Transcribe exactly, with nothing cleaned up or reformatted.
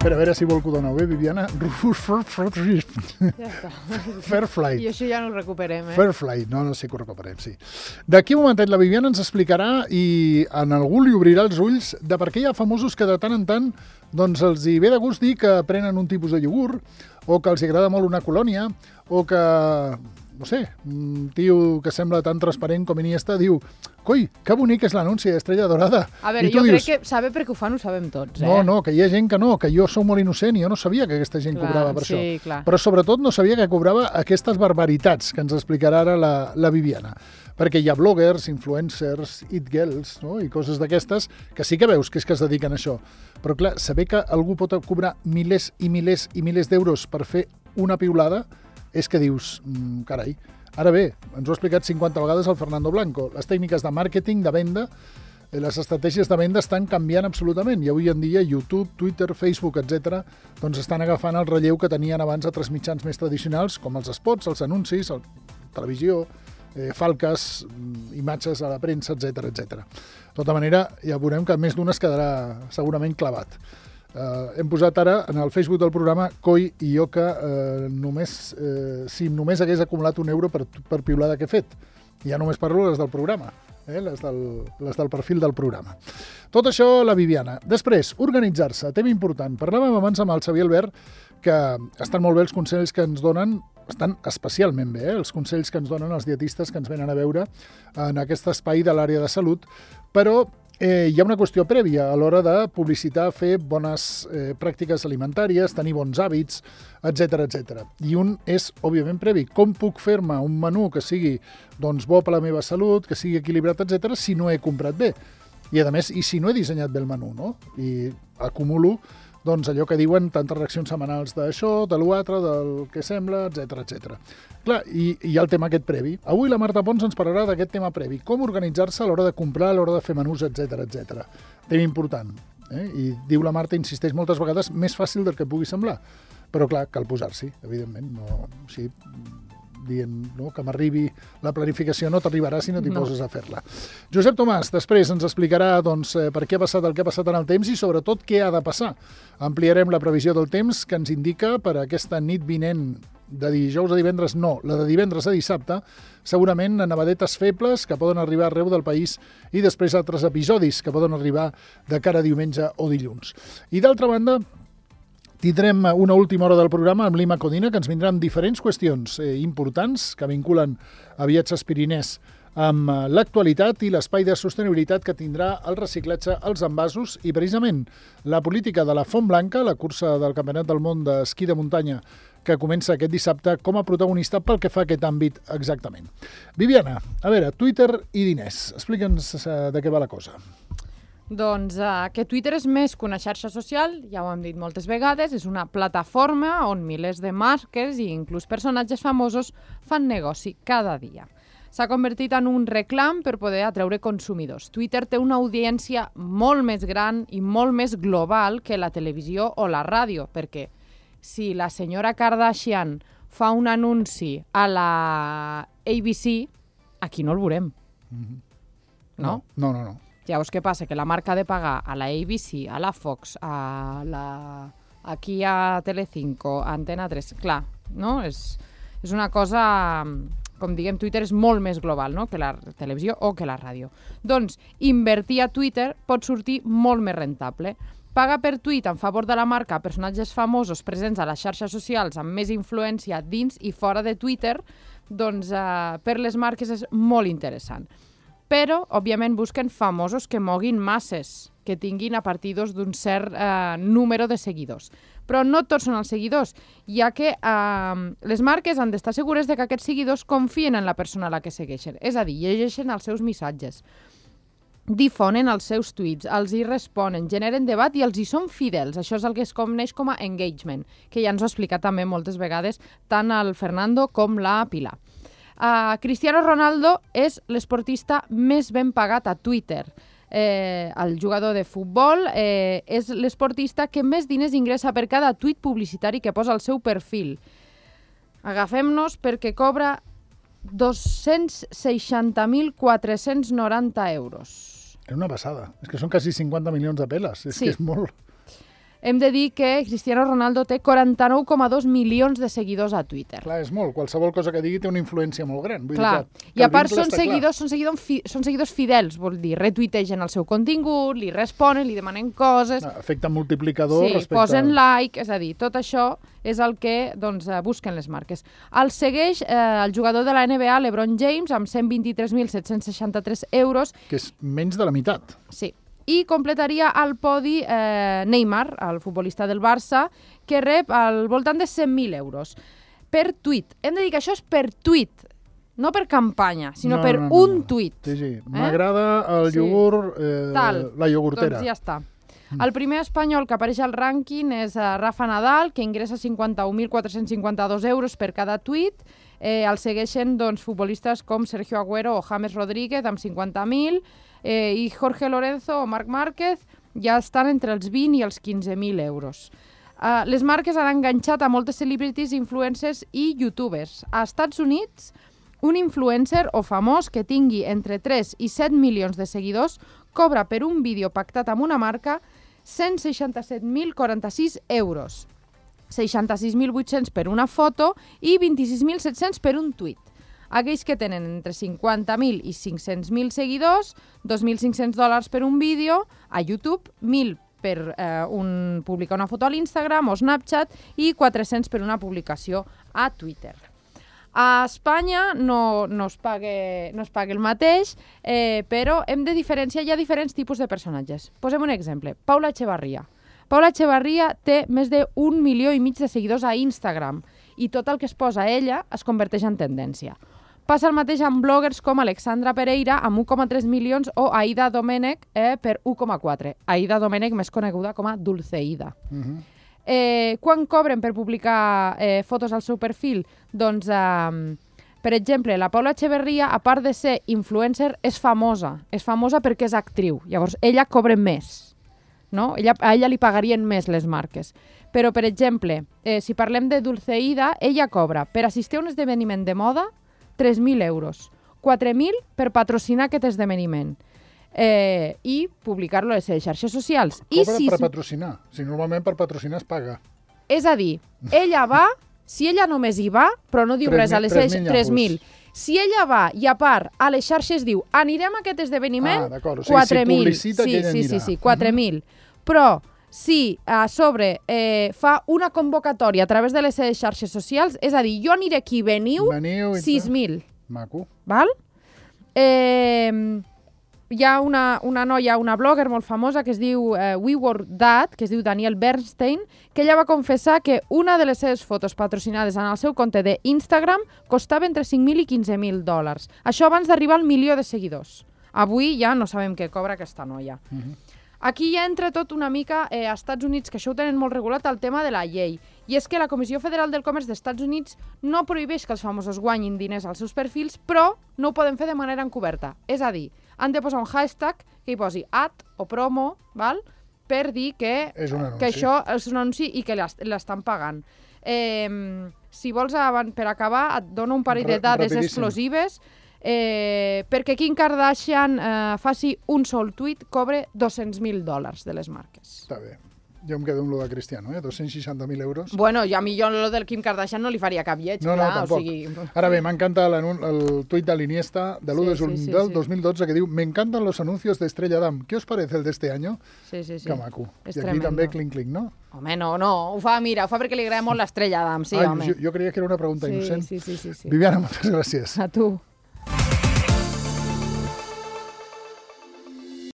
Però a veure si vol que ho doneu bé, Viviana. Ja està. Fairflight. I això ja no ho recuperem, eh? Fairflight, no, no sé que ho recuperem, sí. D'aquí un momentet la Viviana ens explicarà i en algú li obrirà els ulls de per què hi ha famosos que de tant en tant doncs els hi ve de gust dir que prenen un tipus de iogurt o que els agrada molt una colònia o que, no sé, un tio que sembla tan transparent com Iniesta diu coi, que bonic és l'anunci d'Estrella Dorada. A veure, jo dius, crec que saber perquè ho fan ho sabem tots, eh? No, no, que hi ha gent que no, que jo sóc molt innocent i jo no sabia que aquesta gent clar, cobrava per sí, això. Clar. Però sobretot no sabia que cobrava aquestes barbaritats que ens explicarà ara la, la Viviana. Perquè hi ha bloggers, influencers, it girls, no? I coses d'aquestes que sí que veus que és que es dediquen a això. Però clar, saber que algú pot cobrar milers i milers i milers d'euros per fer una piulada és que dius, mmm, carai. Ara bé, ens ho ha explicat cinquanta vegades el Fernando Blanco. Les tècniques de màrqueting, de venda, les estratègies de venda estan canviant absolutament i avui en dia YouTube, Twitter, Facebook, etcètera, doncs estan agafant el relleu que tenien abans altres mitjans més tradicionals com els spots, els anuncis, la televisió, eh, falques, imatges a la premsa, etcètera, etcètera. De tota manera, ja veurem que més d'un es quedarà segurament clavat. Uh, hem posat ara en el Facebook del programa coi i jo que uh, només, uh, si només hagués acumulat un euro per, per piulada que he fet. Ja només parlo les del programa, eh? les, del, les del perfil del programa. Tot això la Viviana. Després, organitzar-se, tema important. Parlàvem abans amb el Xavier Albert que estan molt bé els consells que ens donen, estan especialment bé, eh? els consells que ens donen els dietistes que ens venen a veure en aquest espai de l'àrea de salut, però Eh, hi ha una qüestió prèvia a l'hora de publicitar, fer bones eh, pràctiques alimentàries, tenir bons hàbits, etcètera, etcètera. I un és, òbviament, previ. Com puc fer-me un menú que sigui doncs, bo per la meva salut, que sigui equilibrat, etcètera, si no he comprat bé? I, a més, i si no he dissenyat bé el menú, no? I acumulo doncs, allò que diuen tantes reaccions setmanals d'això, de l'altre, del que sembla, etcètera, etcètera. Clar, i hi ha el tema aquest previ. Avui la Marta Pons ens parlarà d'aquest tema previ. Com organitzar-se a l'hora de comprar, a l'hora de fer menús, etcètera, etcètera. Tema important. Eh? I diu la Marta, insisteix moltes vegades, més fàcil del que pugui semblar. Però clar, cal posar-s'hi, evidentment. No, així, dient no, que m'arribi la planificació, no t'arribarà si no t'hi no. poses a fer-la. Josep Tomàs, després ens explicarà doncs, per què ha passat el que ha passat en el temps i sobretot què ha de passar. Ampliarem la previsió del temps que ens indica per aquesta nit vinent de dijous a divendres, no, la de divendres a dissabte, segurament nevadetes febles que poden arribar arreu del país i després altres episodis que poden arribar de cara a diumenge o dilluns. I d'altra banda, tindrem una última hora del programa amb l'Ima Codina, que ens vindrà amb diferents qüestions eh, importants que vinculen a Viatges Pirinès amb l'actualitat i l'espai de sostenibilitat que tindrà el reciclatge als envasos i precisament la política de la Font Blanca, la cursa del Campionat del Món d'esquí de muntanya que comença aquest dissabte com a protagonista pel que fa a aquest àmbit exactament. Viviana, a veure, Twitter i diners. Explica'ns de què va la cosa. Doncs uh, que Twitter és més que una xarxa social, ja ho hem dit moltes vegades, és una plataforma on milers de marques i inclús personatges famosos fan negoci cada dia. S'ha convertit en un reclam per poder atreure consumidors. Twitter té una audiència molt més gran i molt més global que la televisió o la ràdio, perquè si la senyora Kardashian fa un anunci a la A B C, aquí no el veurem. Mm-hmm. No? No, no, no. Llavors, què passa? Que la marca ha de pagar a la A B C, a la Fox, a la... aquí a Telecinco, a Antena tres. Clar, no? És, és una cosa... Com diguem, Twitter és molt més global, no?, que la televisió o que la ràdio. Doncs, invertir a Twitter pot sortir molt més rentable. Paga per tuit en favor de la marca a personatges famosos presents a les xarxes socials amb més influència dins i fora de Twitter, doncs eh, per les marques és molt interessant. Però, òbviament, busquen famosos que moguin masses, que tinguin a partir d'un cert eh, número de seguidors. Però no tots són els seguidors, ja que eh, les marques han d'estar segures de que aquests seguidors confien en la persona a la que segueixen. És a dir, llegeixen els seus missatges, difonen els seus tuits, els hi responen, generen debat i els hi són fidels. Això és el que es coneix com a engagement, que ja ens ho ha explicat també moltes vegades tant el Fernando com la Pilar. Uh, Cristiano Ronaldo és l'esportista més ben pagat a Twitter. Eh, el jugador de futbol eh, és l'esportista que més diners ingressa per cada tuit publicitari que posa al seu perfil. Agafem-nos perquè cobra dos-cents seixanta mil quatre-cents noranta euros. És una passada. És que són quasi cinquanta milions de peles. És sí. que és molt... hem de dir que Cristiano Ronaldo té quaranta-nou coma dos milions de seguidors a Twitter. Clar, és molt. Qualsevol cosa que digui té una influència molt gran. Vull clar. dir que, que I a part són clar. seguidors, són, seguidors fi, són seguidors fidels, vol dir, retuitegen el seu contingut, li responen, li demanen coses... No, efecte multiplicador sí, respecte... posen like, és a dir, tot això és el que doncs, busquen les marques. El segueix eh, el jugador de la N B A, LeBron James, amb cent vint-i-tres mil set-cents seixanta-tres euros. Que és menys de la meitat. Sí. I completaria el podi eh, Neymar, el futbolista del Barça, que rep al voltant de cent mil euros. Per tuit. Hem de dir que això és per tuit, no per campanya, sinó no, per no, no, un no. tuit. Sí, sí. Eh? M'agrada el sí. iogurt, eh, Tal. la iogurtera. Doncs ja està. El primer espanyol que apareix al rànquing és uh, Rafa Nadal, que ingressa cinquanta-un mil quatre-cents cinquanta-dos euros per cada tuit. Eh, el segueixen doncs, futbolistes com Sergio Agüero o James Rodríguez amb cinquanta mil, eh, i Jorge Lorenzo o Marc Márquez ja estan entre els vint i els quinze mil euros. Uh, les marques han enganxat a moltes celebrities, influencers i youtubers. A Estats Units, un influencer o famós que tingui entre tres i set milions de seguidors cobra per un vídeo pactat amb una marca cent seixanta-set mil quaranta-sis euros, seixanta-sis mil vuit-cents per una foto i vint-i-sis mil set-cents per un tuit. Aquells que tenen entre cinquanta mil i cinc-cents mil seguidors, dos mil cinc-cents dòlars per un vídeo a YouTube, mil per eh, un, publicar una foto a l'Instagram o Snapchat i quatre-cents per una publicació a Twitter. A Espanya no, no, es pague, no es paga el mateix, eh, però hem de diferenciar, hi ha diferents tipus de personatges. Posem un exemple, Paula Echevarría. Paula Echevarría té més d'un milió i mig de seguidors a Instagram i tot el que es posa a ella es converteix en tendència. Passa el mateix amb bloggers com Alexandra Pereira amb un coma tres milions o Aida Domènech eh, per un coma quatre. Aida Domènech més coneguda com a Dulceida. Uh-huh. Eh, quan cobren per publicar eh, fotos al seu perfil? Doncs, eh, per exemple, la Paula Echevarría, a part de ser influencer, és famosa. És famosa perquè és actriu. Llavors, ella cobra més. No? Ella, a ella li pagarien més les marques. Però, per exemple, eh, si parlem de Dulceida, ella cobra per assistir a un esdeveniment de moda tres mil euros, quatre mil per patrocinar aquest esdeveniment. Eh, i publicar-lo a les xarxes socials. Cobra I si... per patrocinar. Si normalment per patrocinar es paga. És a dir, ella va, si ella només hi va, però no diu res a les xarxes, tres mil. Si ella va i a part a les xarxes diu anirem a aquest esdeveniment, ah, o sigui, quatre mil. Si publicita sí, que ella sí, anirà. sí, sí, quatre mil. Uh-huh. Però si a sobre eh, fa una convocatòria a través de les xarxes socials, és a dir, jo aniré aquí, veniu, veniu sis mil. Maco. Val? Eh... Hi ha una, una noia, una blogger molt famosa que es diu eh, We Were That, que es diu Danielle Bernstein, que ella va confessar que una de les seves fotos patrocinades en el seu compte d'Instagram costava entre cinc mil i quinze mil dòlars. Això abans d'arribar al milió de seguidors. Avui ja no sabem què cobra aquesta noia. Uh-huh. Aquí ja entra tot una mica eh, a Estats Units, que això ho tenen molt regulat, el tema de la llei. I és que la Comissió Federal del Comerç d'Estats Units no prohibeix que els famosos guanyin diners als seus perfils, però no ho poden fer de manera encoberta. És a dir, han de posar un hashtag que hi posi ad o promo, val? Per dir que, és un que això és un anunci i que l'estan pagant. Eh, si vols, per acabar, et dono un parell de dades explosives. Eh, perquè Kim Kardashian eh, faci un sol tuit cobre dos-cents mil dòlars de les marques. Està bé. Jo em quedo amb lo de Cristiano, eh? dos-cents seixanta mil euros. Bueno, jo a mi jo lo del Kim Kardashian no li faria cap lleig. No, clar, no, tampoc. O sigui... Ara bé, m'encanta el tuit de l'Iniesta de l'u de juny sí, sí, del sí. dos mil dotze que diu «Me encantan los anuncios de Estrella Damm. ¿Qué os parece el de este año?» Sí, sí, sí. Que maco. És I aquí tremendo. també clink-clink, no? Home, no, no. Ho fa, mira, ho fa perquè li agrada molt l'Estrella Damm, sí, Ai, home. Jo, jo creia que era una pregunta sí, innocent. Sí, sí, sí, sí. Viviana, moltes gràcies. A tu.